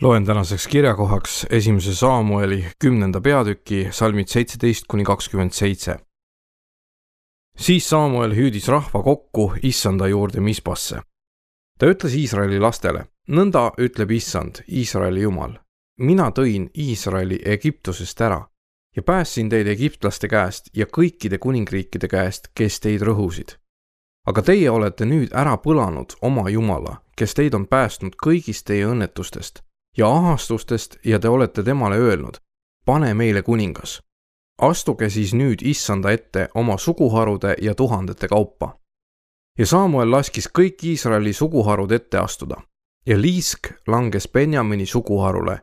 Loen tänaseks kirjakohaks 1. Saamueli 10. peatüki salmid 17-27. Siis Saamuel hüüdis rahva kokku Issanda juurde Mispasse. Ta ütles Iisraeli lastele, nõnda ütleb Issand, Iisraeli Jumal. Mina tõin Iisraeli Egiptusest ära ja päästsin teid egiptlaste käest ja kõikide kuningriikide käest, kes teid rõhusid. Aga teie olete nüüd ära põlanud oma Jumala, kes teid on päästnud kõigist teie õnnetustest ja ahastustest ja te olete temale öelnud, pane meile kuningas. Astuge siis nüüd Issanda ette oma suguharude ja tuhandete kaupa. Ja Saamuel laskis kõik Iisraeli suguharud ette astuda ja liisk langes Benjamini suguharule.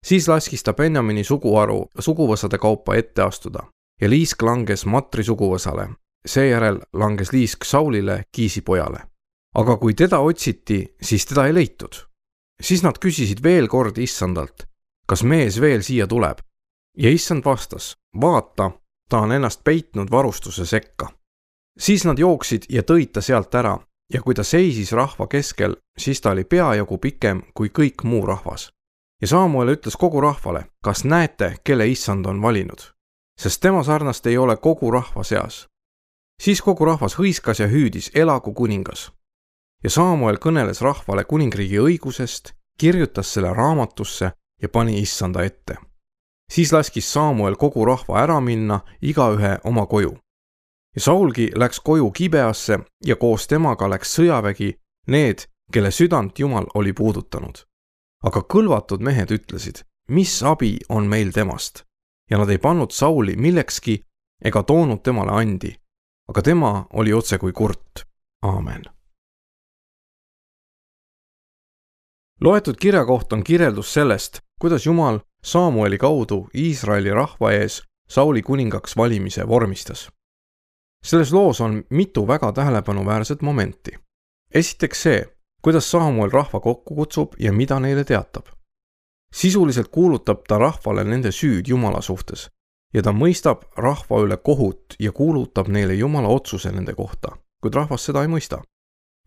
Siis laskis ta Benjamini suguharu suguvõsade kaupa ette astuda ja liisk langes Matri suguvõsale. Seejärel langes liisk Saulile, Kiisi pojale. Aga kui teda otsiti, siis teda ei leitud. Siis nad küsisid veel kord Issandalt, kas mees veel siia tuleb? Ja Issand vastas, vaata, ta on ennast peitnud varustuse sekka. Siis nad jooksid ja tõid ta sealt ära ja kui ta seisis rahva keskel, siis ta oli peajagu pikem kui kõik muu rahvas. Ja Saamuel ütles kogu rahvale, kas näete, kelle Issand on valinud? Sest tema sarnast ei ole kogu rahva seas. Siis kogu rahvas hõiskas ja hüüdis, elagu kuningas. Ja Saamuel kõneles rahvale kuningriigi õigusest, kirjutas selle raamatusse ja pani Issanda ette. Siis laskis Saamuel kogu rahva ära minna, igaühe oma koju. Ja Saulgi läks koju Gibeasse ja koos temaga läks sõjavägi, need, kelle südant Jumal oli puudutanud. Aga kõlvatud mehed ütlesid, mis abi on meil temast? Ja nad ei pannud Sauli millekski ega toonud temale andi, aga tema oli otse kui kurt. Aamen. Loetud kirjakoht on kirjeldus sellest, kuidas Jumal Saamueli kaudu Iisraeli rahva ees Sauli kuningaks valimise vormistas. Selles loos on mitu väga tähelepanuväärset momenti. Esiteks see, kuidas Saamuel rahva kokku kutsub ja mida neile teatab. Sisuliselt kuulutab ta rahvale nende süüd Jumala suhtes ja ta mõistab rahva üle kohut ja kuulutab neile Jumala otsuse nende kohta, kuid rahvas seda ei mõista.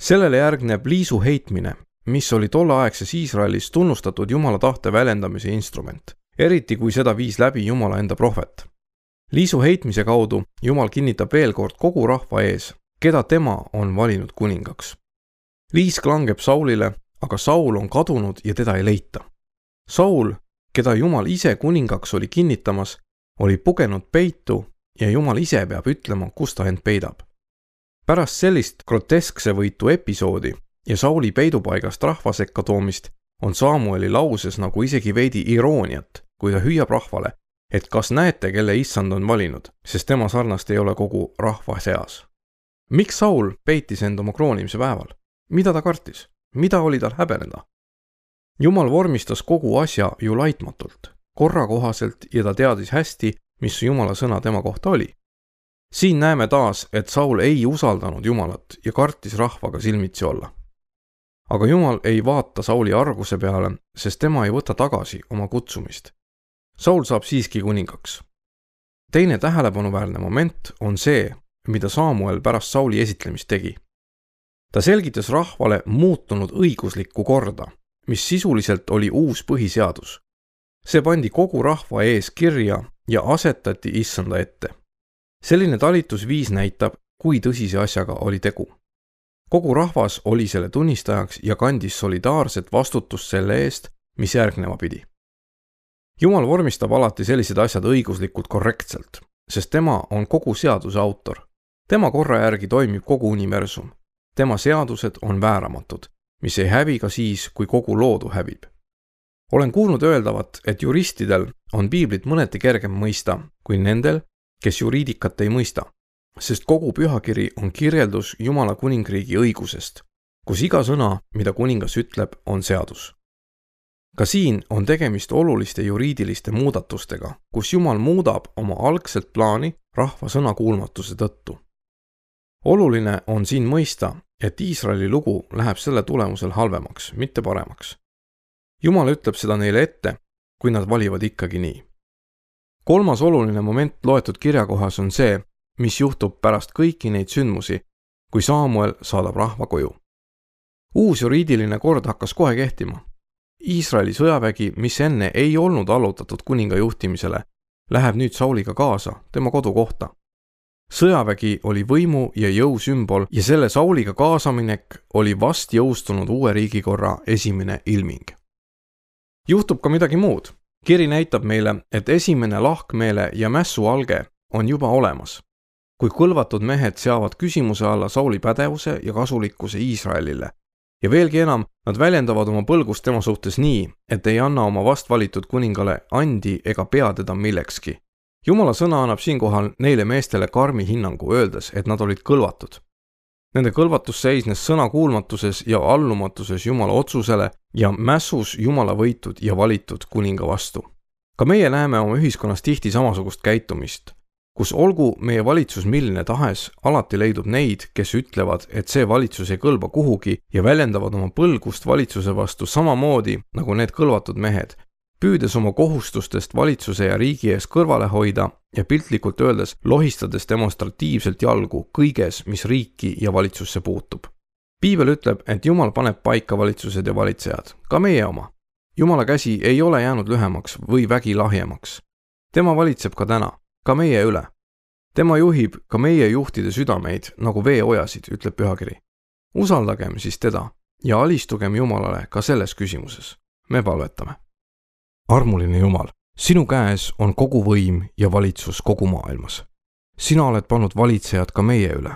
Sellele järgneb liisu heitmine, mis oli tolleaegses Iisraelis tunnustatud Jumala tahte väljendamise instrument, eriti kui seda viis läbi Jumala enda prohvet. Liisu heitmise kaudu Jumal kinnitab veel kord kogu rahva ees, keda tema on valinud kuningaks. Liisk langeb Saulile, aga Saul on kadunud ja teda ei leita. Saul, keda Jumal ise kuningaks oli kinnitamas, oli pugenud peitu ja Jumal ise peab ütlema, kus ta end peidab. Pärast sellist groteskse võitu episoodi ja Sauli peidupaigast rahva sekka toomist on Saamueli lauses nagu isegi veidi irooniat, kui ta hüüab rahvale, et kas näete, kelle Issand on valinud, sest tema sarnast ei ole kogu rahva seas. Miks Saul peitis end oma kroonimise päeval? Mida ta kartis? Mida oli tal häbeneda? Jumal vormistas kogu asja ju laitmatult, korrakohaselt ja ta teadis hästi, mis Jumala sõna tema kohta oli. Siin näeme taas, et Saul ei usaldanud Jumalat ja kartis rahvaga silmitsi olla. Aga Jumal ei vaata Sauli arguse peale, sest tema ei võta tagasi oma kutsumist. Saul saab siiski kuningaks. Teine tähelepanuväärne moment on see, mida Saamuel pärast Sauli esitlemist tegi. Ta selgitas rahvale muutunud õiguslikku korda, mis sisuliselt oli uus põhiseadus. See pandi kogu rahva ees kirja ja asetati Issanda ette. Selline talitusviis näitab, kui tõsise asjaga oli tegu. Kogu rahvas oli selle tunnistajaks ja kandis solidaarset vastutust selle eest, mis järgneva pidi. Jumal vormistab alati sellised asjad õiguslikult korrektselt, sest tema on kogu seaduse autor. Tema korra järgi toimib kogu universum. Tema seadused on vääramatud, mis ei hävi ka siis, kui kogu loodu hävib. Olen kuulnud öeldavat, et juristidel on piiblit mõneti kergem mõista kui nendel, kes juriidikat ei mõista, sest kogu pühakiri on kirjeldus Jumala kuningriigi õigusest, kus iga sõna, mida kuningas ütleb, on seadus. Ka siin on tegemist oluliste juriidiliste muudatustega, kus Jumal muudab oma algset plaani rahva sõnakuulmatuse tõttu. Oluline on siin mõista, et Iisraeli lugu läheb selle tulemusel halvemaks, mitte paremaks. Jumal ütleb seda neile ette, kui nad valivad ikkagi nii. Kolmas oluline moment loetud kirjakohas on see, mis juhtub pärast kõiki neid sündmusi, kui Saamuel saadab rahva koju. Uus juriidiline kord hakkas kohe kehtima. Iisraeli sõjavägi, mis enne ei olnud allutatud kuninga juhtimisele, läheb nüüd Sauliga kaasa tema kodukohta. Sõjavägi oli võimu ja jõu sümbol ja selle Sauliga kaasaminek oli vast jõustunud uue riigikorra esimene ilming. Juhtub ka midagi muud. Kiri näitab meile, et esimene lahkmeele ja mässu alge on juba olemas. Kui kõlvatud mehed seavad küsimuse alla Sauli pädevuse ja kasulikkuse Iisraelile. Ja veelgi enam, nad väljendavad oma põlgust tema suhtes nii, et ei anna oma vastvalitud kuningale andi ega pea teda millekski. Jumala sõna annab siinkohal neile meestele karmi hinnangu, öeldes, et nad olid kõlvatud. Nende kõlvatus seisnes sõnakuulmatuses ja allumatuses Jumala otsusele ja mässus Jumala võitud ja valitud kuninga vastu. Ka meie näeme oma ühiskonnas tihti samasugust käitumist, kus olgu meie valitsus milline tahes, alati leidub neid, kes ütlevad, et see valitsus ei kõlba kuhugi ja väljendavad oma põlgust valitsuse vastu samamoodi nagu need kõlvatud mehed, püüdes oma kohustustest valitsuse ja riigi ees kõrvale hoida ja piltlikult öeldes lohistades demonstratiivselt jalgu kõiges, mis riiki ja valitsusse puutub. Piibel ütleb, et Jumal paneb paika valitsused ja valitsejad, ka meie oma. Jumala käsi ei ole jäänud lühemaks või vägi lahjemaks. Tema valitseb ka täna, ka meie üle. Tema juhib ka meie juhtide südameid nagu veeojasid, ütleb pühakiri. Usaldagem siis teda ja alistugem Jumalale ka selles küsimuses. Me palvetame. Armuline Jumal, sinu käes on kogu võim ja valitsus kogu maailmas. Sina oled pannud valitsejad ka meie üle.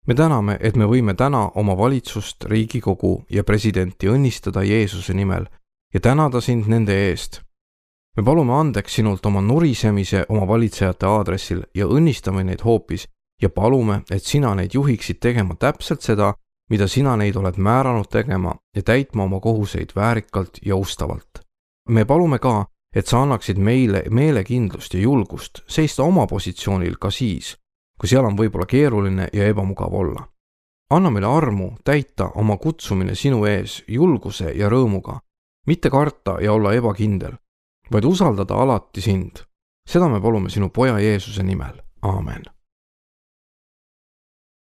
Me täname, et me võime täna oma valitsust, Riigikogu ja presidenti õnnistada Jeesuse nimel ja tänada sind nende eest. Me palume andeks sinult oma nurisemise oma valitsejate aadressil ja õnnistame neid hoopis ja palume, et sina neid juhiksid tegema täpselt seda, mida sina neid oled määranud tegema ja täitma oma kohuseid väärikalt ja ustavalt. Me palume ka, et sa annaksid meile meelekindlust ja julgust seista oma positsioonil ka siis, kui seal on võib-olla keeruline ja ebamugav olla. Anna meile armu täita oma kutsumine sinu ees julguse ja rõõmuga, mitte karta ja olla ebakindel, vaid usaldada alati sind. Seda me palume sinu poja Jeesuse nimel. Aamen.